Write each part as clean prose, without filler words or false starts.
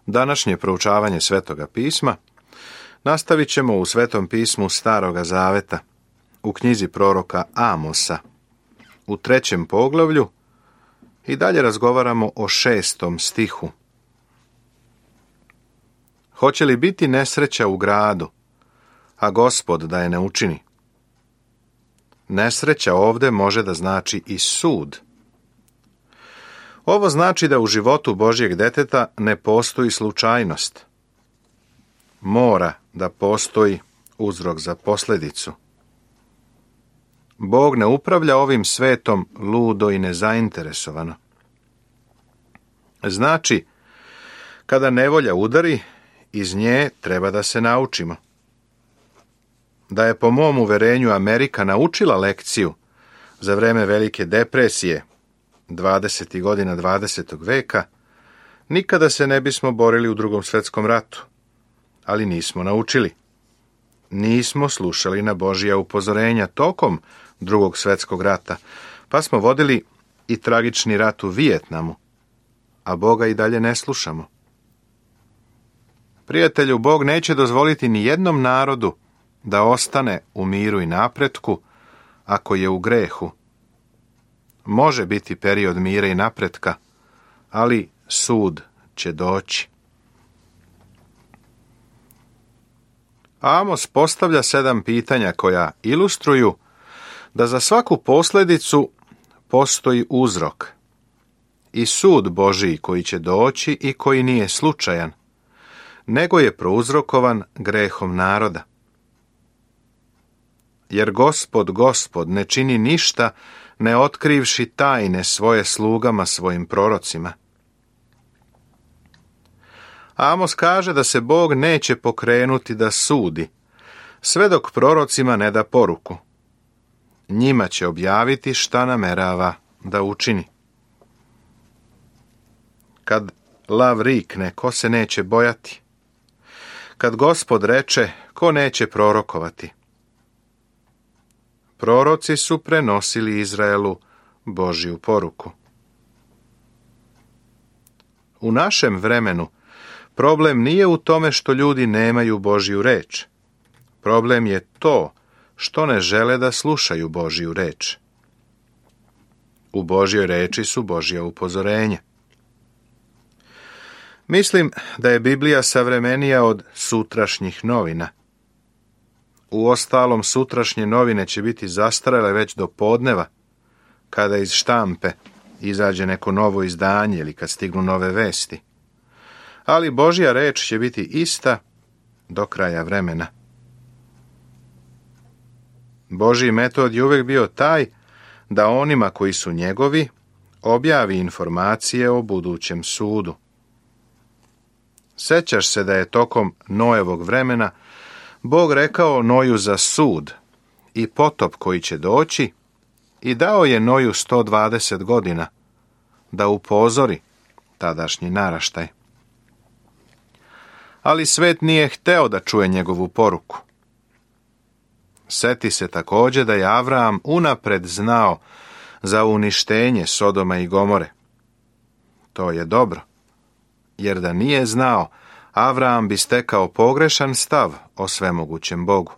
Današnje proučavanje Svetoga pisma nastavit ćemo u Svetom pismu Staroga Zaveta, u knjizi proroka Amosa, u 3. poglavlju i dalje razgovaramo o 6. stihu. Hoće li biti nesreća u gradu, a Gospod da je ne učini? Nesreća ovdje može da znači i sud. Ovo znači da u životu Božjeg deteta ne postoji slučajnost. Mora da postoji uzrok za posljedicu. Bog ne upravlja ovim svetom ludo i nezainteresovano. Znači, kada nevolja udari, iz nje treba da se naučimo. Da je po mom uverenju Amerika naučila lekciju za vreme Velike depresije, 20. godina 20. veka, nikada se ne bismo borili u Drugom svjetskom ratu. Ali nismo naučili. Nismo slušali na Božja upozorenja tokom Drugog svjetskog rata, pa smo vodili i tragični rat u Vijetnamu, a Boga i dalje ne slušamo. Prijatelju, Bog neće dozvoliti ni jednom narodu da ostane u miru i napretku ako je u grehu. Može biti period mira i napretka, ali sud će doći. Amos postavlja 7 pitanja koja ilustruju da za svaku posljedicu postoji uzrok i sud Božiji koji će doći i koji nije slučajan, nego je prouzrokovan grehom naroda. Jer Gospod ne čini ništa ne otkrivši tajne svoje slugama, svojim prorocima. Amos kaže da se Bog neće pokrenuti da sudi, sve dok prorocima ne da poruku. Njima će objaviti šta namerava da učini. Kad lav rikne, ko se neće bojati? Kad Gospod reče, ko neće prorokovati? Proroci su prenosili Izraelu Božju poruku. U našem vremenu problem nije u tome što ljudi nemaju Božju reč. Problem je to što ne žele da slušaju Božju reč. U Božjoj reči su Božja upozorenja. Mislim da je Biblija savremenija od sutrašnjih novina. Uostalom, sutrašnje novine će biti zastarele već do podneva, kada iz štampe izađe neko novo izdanje ili kad stignu nove vesti. Ali Božja reč će biti ista do kraja vremena. Božji metod je uvijek bio taj da onima koji su njegovi objavi informacije o budućem sudu. Sećaš se da je tokom Noevog vremena Bog rekao Noju za sud i potop koji će doći i dao je Noju 120 godina da upozori tadašnji naraštaj. Ali svet nije hteo da čuje njegovu poruku. Seti se također da je Avram unapred znao za uništenje Sodoma i Gomore. To je dobro, jer da nije znao, Avram bi stekao pogrešan stav o svemogućem Bogu.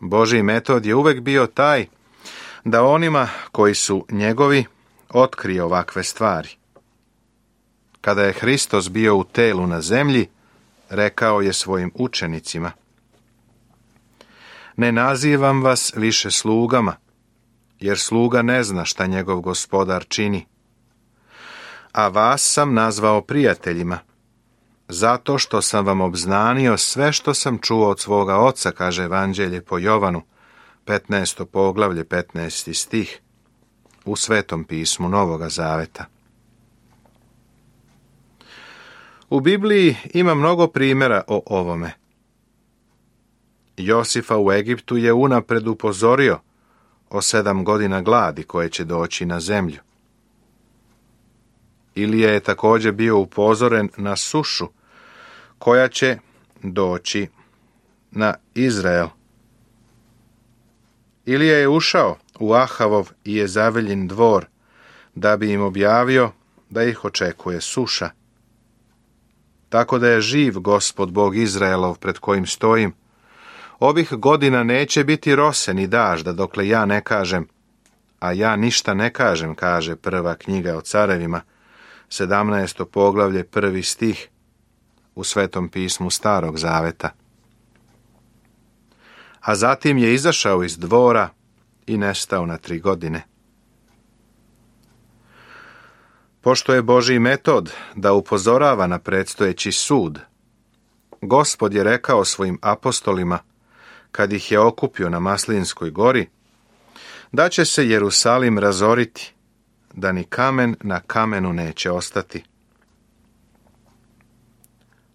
Božji metod je uvijek bio taj da onima koji su njegovi otkrije ovakve stvari. Kada je Hristos bio u telu na zemlji, rekao je svojim učenicima: ne nazivam vas više slugama, jer sluga ne zna šta njegov gospodar čini. A vas sam nazvao prijateljima, zato što sam vam obznanio sve što sam čuo od svoga oca, kaže Evanđelje po Jovanu, 15. poglavlje, 15. stih, u Svetom pismu Novoga Zaveta. U Bibliji ima mnogo primjera o ovome. Josifa u Egiptu je unapred upozorio o 7 godina gladi koje će doći na zemlju. Ilija je također bio upozoren na sušu koja će doći na Izrael. Ilija je ušao u Ahavov i Jezaveljin dvor da bi im objavio da ih očekuje suša. Tako da je živ Gospod Bog Izraelov pred kojim stojim. Ovih godina neće biti rose ni dažda dokle ja ne kažem, a ja ništa ne kažem, kaže prva knjiga o carevima, 17. poglavlje, 1. stih u Svetom pismu Starog zaveta. A zatim je izašao iz dvora i nestao na 3 godine. Pošto je Božji metod da upozorava na predstojeći sud, Gospod je rekao svojim apostolima, kad ih je okupio na Maslinskoj gori, da će se Jerusalim razoriti, da ni kamen na kamenu neće ostati.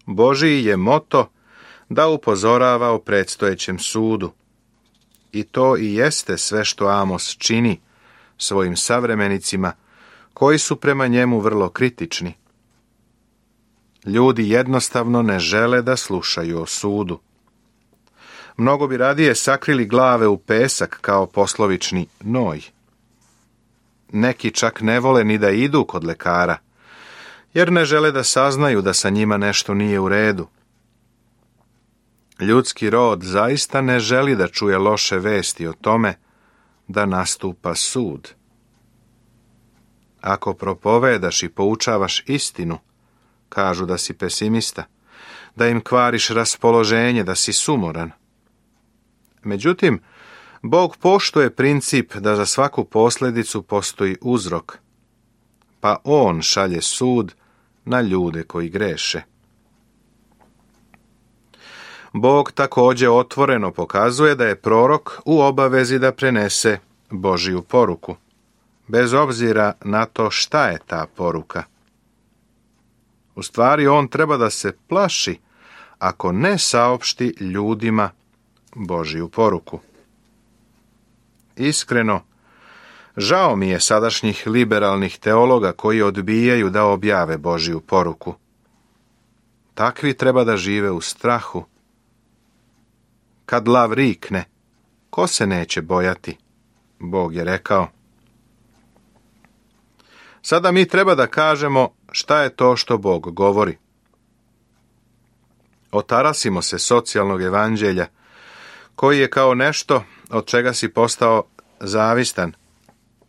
Božji je moto da upozorava o predstojećem sudu. I to i jeste sve što Amos čini svojim savremenicima, koji su prema njemu vrlo kritični. Ljudi jednostavno ne žele da slušaju o sudu. Mnogo bi radije sakrili glave u pesak kao poslovični noj. Neki čak ne vole ni da idu kod lekara, jer ne žele da saznaju da sa njima nešto nije u redu. Ljudski rod zaista ne želi da čuje loše vesti o tome da nastupa sud. Ako propovedaš i poučavaš istinu, kažu da si pesimista, da im kvariš raspoloženje, da si sumoran. Međutim, Bog poštuje princip da za svaku posljedicu postoji uzrok, pa On šalje sud na ljude koji greše. Bog također otvoreno pokazuje da je prorok u obavezi da prenese Božju poruku, bez obzira na to šta je ta poruka. U stvari, on treba da se plaši ako ne saopšti ljudima Božju poruku. Iskreno, žao mi je sadašnjih liberalnih teologa koji odbijaju da objave Božju poruku. Takvi treba da žive u strahu. Kad lav rikne, ko se neće bojati? Bog je rekao. Sada mi treba da kažemo šta je to što Bog govori. Otarasimo se socijalnog evanđelja, koji je kao nešto od čega si postao zavistan,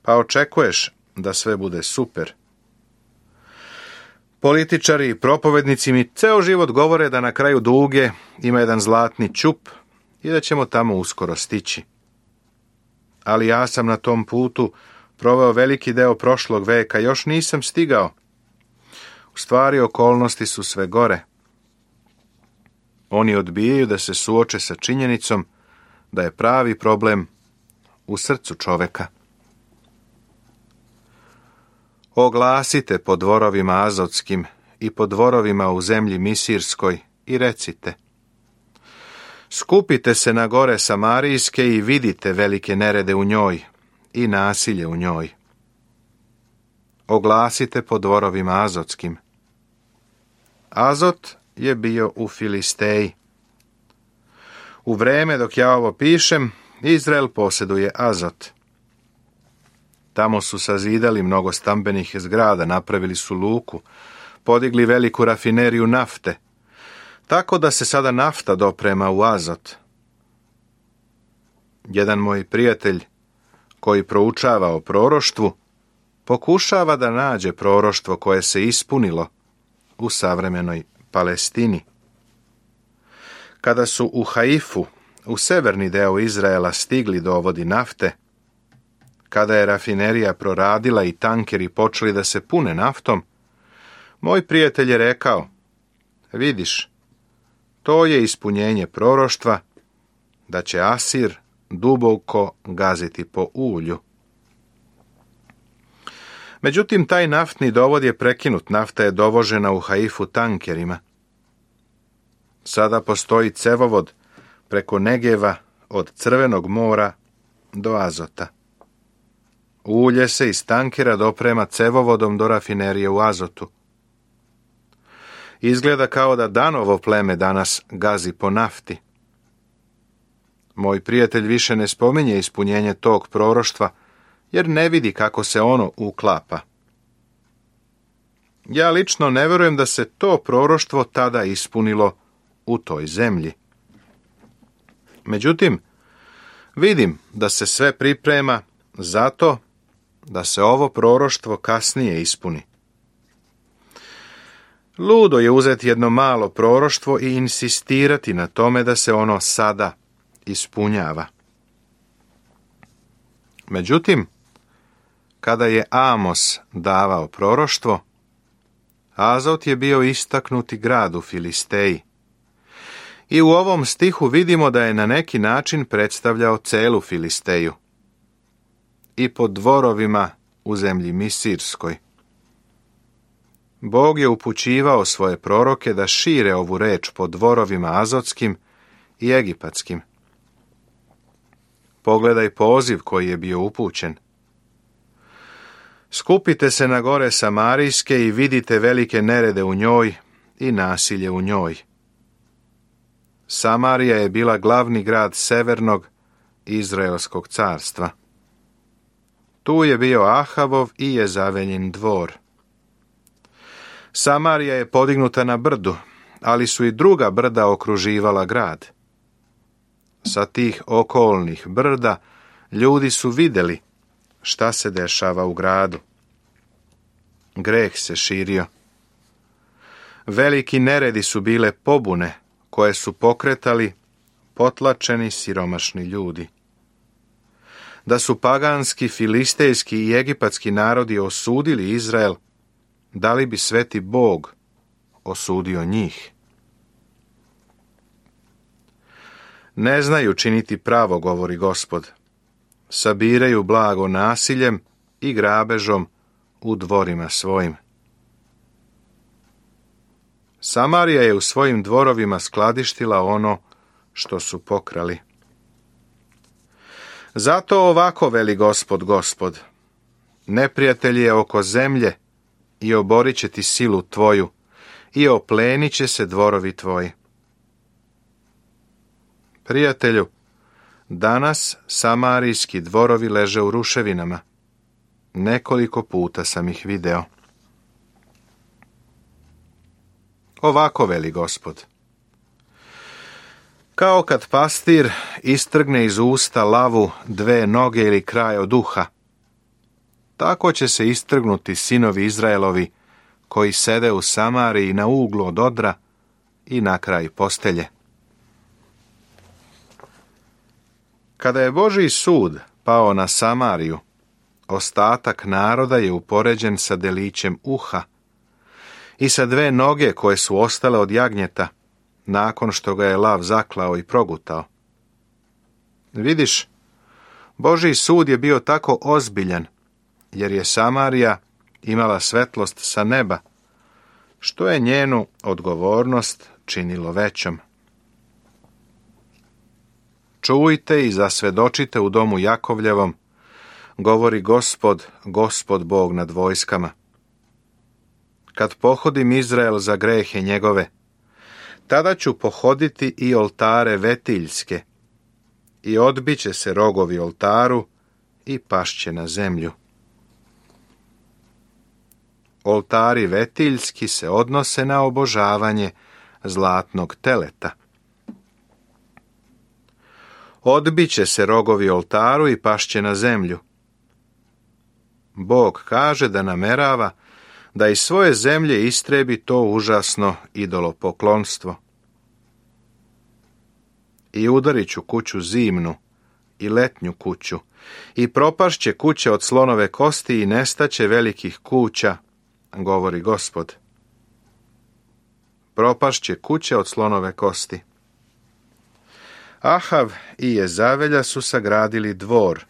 pa očekuješ da sve bude super. Političari i propovednici mi ceo život govore da na kraju duge ima jedan zlatni ćup i da ćemo tamo uskoro stići. Ali ja sam na tom putu proveo veliki deo prošlog veka, još nisam stigao. U stvari, okolnosti su sve gore. Oni odbijaju da se suoče sa činjenicom da je pravi problem u srcu čoveka. Oglasite po dvorovima azotskim i po dvorovima u zemlji misirskoj i recite: skupite se na gore Samarijske i vidite velike nerede u njoj i nasilje u njoj. Oglasite po dvorovima azotskim. Azot je bio u Filisteji. U vreme dok ja ovo pišem, Izrael posjeduje Azot. Tamo su sazidali mnogo stambenih zgrada, napravili su luku, podigli veliku rafineriju nafte, tako da se sada nafta doprema u Azot. Jedan moj prijatelj, koji proučava o proroštvu, pokušava da nađe proroštvo koje se ispunilo u savremenoj Palestini. Kada su u Haifu, u severni deo Izraela, stigli dovodi nafte, kada je rafinerija proradila i tankeri počeli da se pune naftom, moj prijatelj je rekao: vidiš, to je ispunjenje proroštva da će Asir duboko gaziti po ulju. Međutim, taj naftni dovod je prekinut, nafta je dovožena u Haifu tankerima. Sada postoji cevovod preko Negeva od Crvenog mora do Azota. Ulje se iz tankera doprema cevovodom do rafinerije u Azotu. Izgleda kao da Danovo pleme danas gazi po nafti. Moj prijatelj više ne spominje ispunjenje tog proroštva, jer ne vidi kako se ono uklapa. Ja lično ne vjerujem da se to proroštvo tada ispunilo u toj zemlji. Međutim, vidim da se sve priprema zato da se ovo proroštvo kasnije ispuni. Ludo je uzeti jedno malo proroštvo i insistirati na tome da se ono sada ispunjava. Međutim, kada je Amos davao proroštvo, Azot je bio istaknuti grad u Filisteji. I u ovom stihu vidimo da je na neki način predstavljao celu Filisteju. I po dvorovima u zemlji Misirskoj. Bog je upućivao svoje proroke da šire ovu reč po dvorovima azotskim i egipatskim. Pogledaj poziv koji je bio upućen. Skupite se na gore Samarijske i vidite velike nerede u njoj i nasilje u njoj. Samarija je bila glavni grad severnog Izraelskog carstva. Tu je bio Ahavov i Jezavelin dvor. Samarija je podignuta na brdu, ali su i druga brda okruživala grad. Sa tih okolnih brda ljudi su vidjeli šta se dešava u gradu. Greh se širio. Veliki neredi su bile pobune koje su pokretali potlačeni siromašni ljudi. Da su paganski, filistejski i egipatski narodi osudili Izrael, da li bi sveti Bog osudio njih? Ne znaju činiti pravo, govori Gospod. Sabiraju blago nasiljem i grabežom u dvorima svojim. Samarija je u svojim dvorovima skladištila ono što su pokrali. Zato ovako veli Gospod, Gospod, neprijatelj je oko zemlje i oborit će ti silu tvoju i oplenit će se dvorovi tvoji. Prijatelju, danas samarijski dvorovi leže u ruševinama. Nekoliko puta sam ih video. Ovako veli Gospod. Kao kad pastir istrgne iz usta lavu dve noge ili kraj od uha, tako će se istrgnuti sinovi Izraelovi koji sede u Samariji na uglu od odra i na kraj postelje. Kada je Božji sud pao na Samariju, ostatak naroda je upoređen sa delićem uha i sa dve noge koje su ostale od jagnjeta, nakon što ga je lav zaklao i progutao. Vidiš, Božji sud je bio tako ozbiljan, jer je Samarija imala svetlost sa neba, što je njenu odgovornost činilo većom. Čujte i zasvedočite u domu Jakovljevom, govori Gospod, Gospod Bog nad vojskama. Kad pohodim Izrael za grehe njegove, tada ću pohoditi i oltare vetiljske, i odbit će se rogovi oltaru i pašće na zemlju. Oltari vetiljski se odnose na obožavanje zlatnog teleta. Odbit će se rogovi oltaru i pašće na zemlju. Bog kaže da namerava da iz svoje zemlje istrebi to užasno idolopoklonstvo. I udarit ću kuću zimnu i letnju kuću, i propašće kuće od slonove kosti i nestaće velikih kuća, govori Gospod. Propašće kuće od slonove kosti. Ahav i Jezavelja su sagradili dvor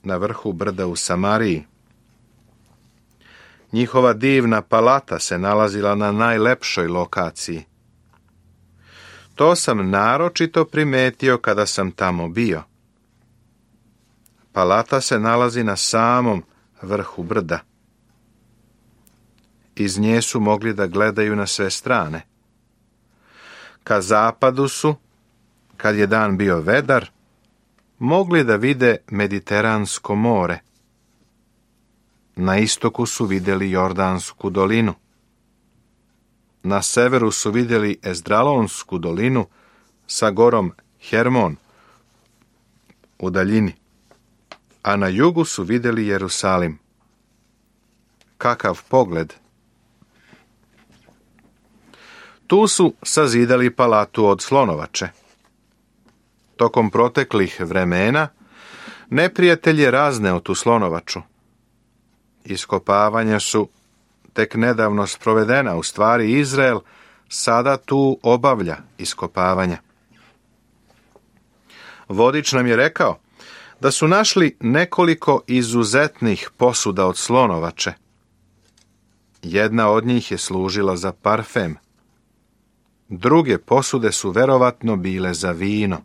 na vrhu brda u Samariji. Njihova divna palata se nalazila na najlepšoj lokaciji. To sam naročito primetio kada sam tamo bio. Palata se nalazi na samom vrhu brda. Iz nje su mogli da gledaju na sve strane. Ka zapadu su, kad je dan bio vedar, mogli da vide Mediteransko more. Na istoku su vidjeli Jordansku dolinu. Na severu su vidjeli Ezdralonsku dolinu sa gorom Hermon u daljini, a na jugu su vidjeli Jerusalim. Kakav pogled! Tu su sazidali palatu od slonovače. Tokom proteklih vremena neprijatelj je razneo tu slonovaču. Iskopavanja su tek nedavno sprovedena, u stvari Izrael sada tu obavlja iskopavanja. Vodič nam je rekao da su našli nekoliko izuzetnih posuda od slonovače. Jedna od njih je služila za parfem. Druge posude su verovatno bile za vino.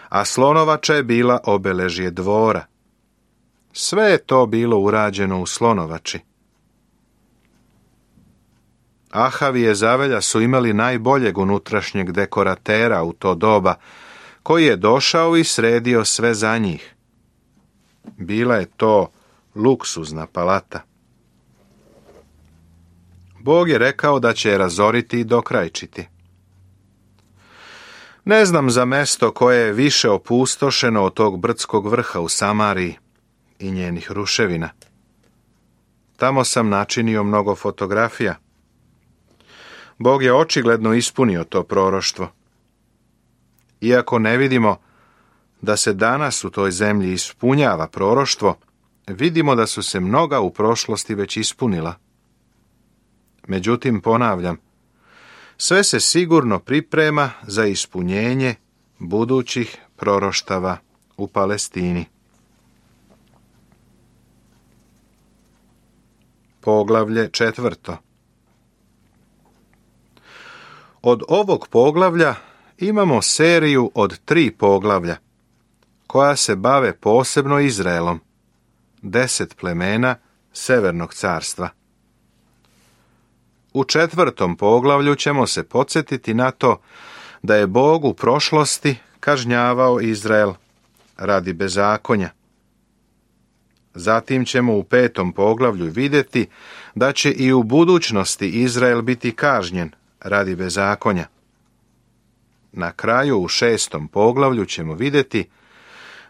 A slonovača je bila obeležje dvora. Sve je to bilo urađeno u slonovači. Ahav i Jezavelja su imali najboljeg unutrašnjeg dekoratera u to doba, koji je došao i sredio sve za njih. Bila je to luksuzna palata. Bog je rekao da će je razoriti i dokrajčiti. Ne znam za mesto koje je više opustošeno od tog brdskog vrha u Samariji i njenih ruševina. Tamo sam načinio mnogo fotografija. Bog je očigledno ispunio to proroštvo. Iako ne vidimo da se danas u toj zemlji ispunjava proroštvo, vidimo da su se mnoga u prošlosti već ispunila. Međutim, ponavljam, sve se sigurno priprema za ispunjenje budućih proroštava u Palestini. Poglavlje 4. Od ovog poglavlja imamo seriju od 3 poglavlja, koja se bave posebno Izraelom, 10 plemena Severnog carstva. U 4. poglavlju ćemo se podsjetiti na to da je Bog u prošlosti kažnjavao Izrael radi bezakonja. Zatim ćemo u 5. poglavlju vidjeti da će i u budućnosti Izrael biti kažnjen radi bezakonja. Na kraju u 6. poglavlju ćemo vidjeti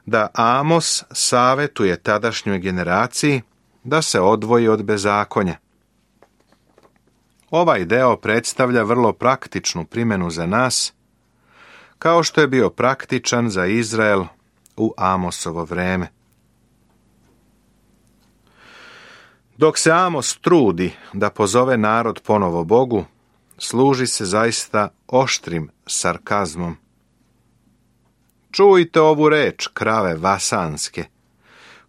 da Amos savjetuje tadašnjoj generaciji da se odvoji od bezakonja. Ovaj deo predstavlja vrlo praktičnu primjenu za nas, kao što je bio praktičan za Izrael u Amosovo vreme. Dok se Amos trudi da pozove narod ponovo Bogu, služi se zaista oštrim sarkazmom. Čujte ovu reč, krave vasanske,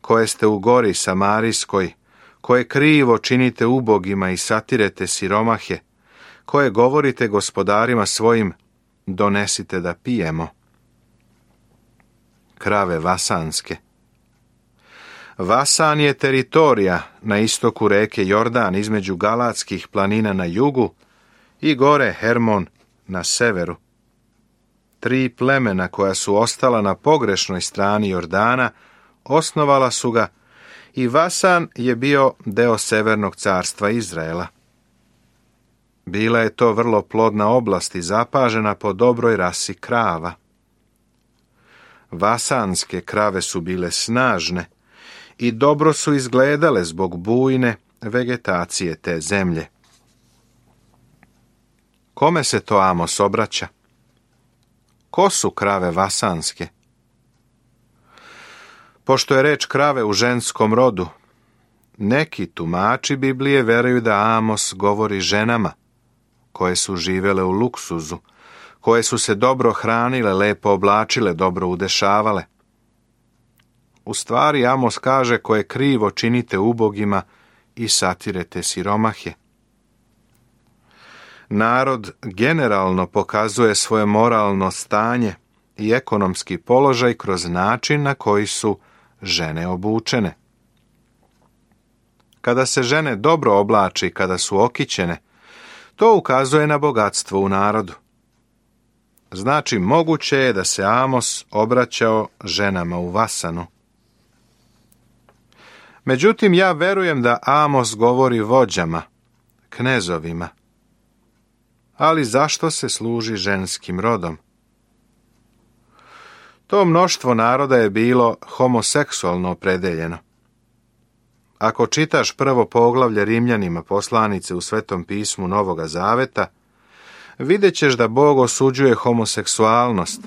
koje ste u gori Samarijskoj, koje krivo činite ubogima i satirete siromahe, koje govorite gospodarima svojim, donesite da pijemo. Krave vasanske. Vasan je teritorija na istoku reke Jordan između Galatskih planina na jugu i gore Hermon na severu. 3 plemena koja su ostala na pogrešnoj strani Jordana osnovala su ga i Vasan je bio deo Severnog carstva Izraela. Bila je to vrlo plodna oblast i zapažena po dobroj rasi krava. Vasanske krave su bile snažne i dobro su izgledale zbog bujne vegetacije te zemlje. Kome se to Amos obraća? Ko su krave vasanske? Pošto je reč krave u ženskom rodu, neki tumači Biblije veruju da Amos govori ženama koje su živele u luksuzu, koje su se dobro hranile, lepo oblačile, dobro udešavale. U stvari Amos kaže koje krivo činite ubogima i satirete siromahe. Narod generalno pokazuje svoje moralno stanje i ekonomski položaj kroz način na koji su žene obučene. Kada se žene dobro oblači, kada su okićene, to ukazuje na bogatstvo u narodu. Znači, moguće je da se Amos obraćao ženama u Vasanu. Međutim, ja verujem da Amos govori vođama, knezovima, Ali zašto se služi ženskim rodom? To mnoštvo naroda je bilo homoseksualno opredeljeno. Ako čitaš prvo poglavlje Rimljanima poslanice u Svetom pismu Novoga Zaveta, vidjet ćeš da Bog osuđuje homoseksualnost.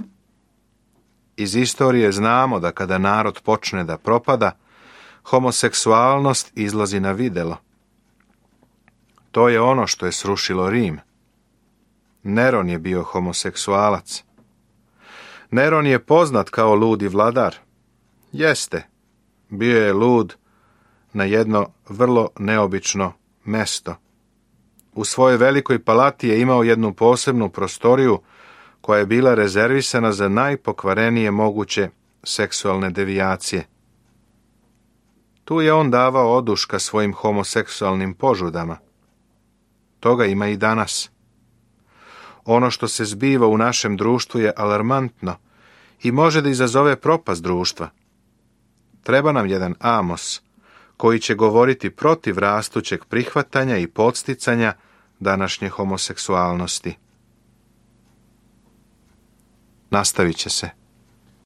Iz istorije znamo da kada narod počne da propada, homoseksualnost izlazi na videlo. To je ono što je srušilo Rim. Neron je bio homoseksualac. Neron je poznat kao ludi vladar. Jeste, bio je lud na jedno vrlo neobično mesto. U svojoj velikoj palati je imao jednu posebnu prostoriju koja je bila rezervisana za najpokvarenije moguće seksualne devijacije. Tu je on davao oduška svojim homoseksualnim požudama. Toga ima i danas. Ono što se zbiva u našem društvu je alarmantno i može da izazove propast društva. Treba nam jedan Amos koji će govoriti protiv rastućeg prihvatanja i podsticanja današnje homoseksualnosti. Nastavit će se.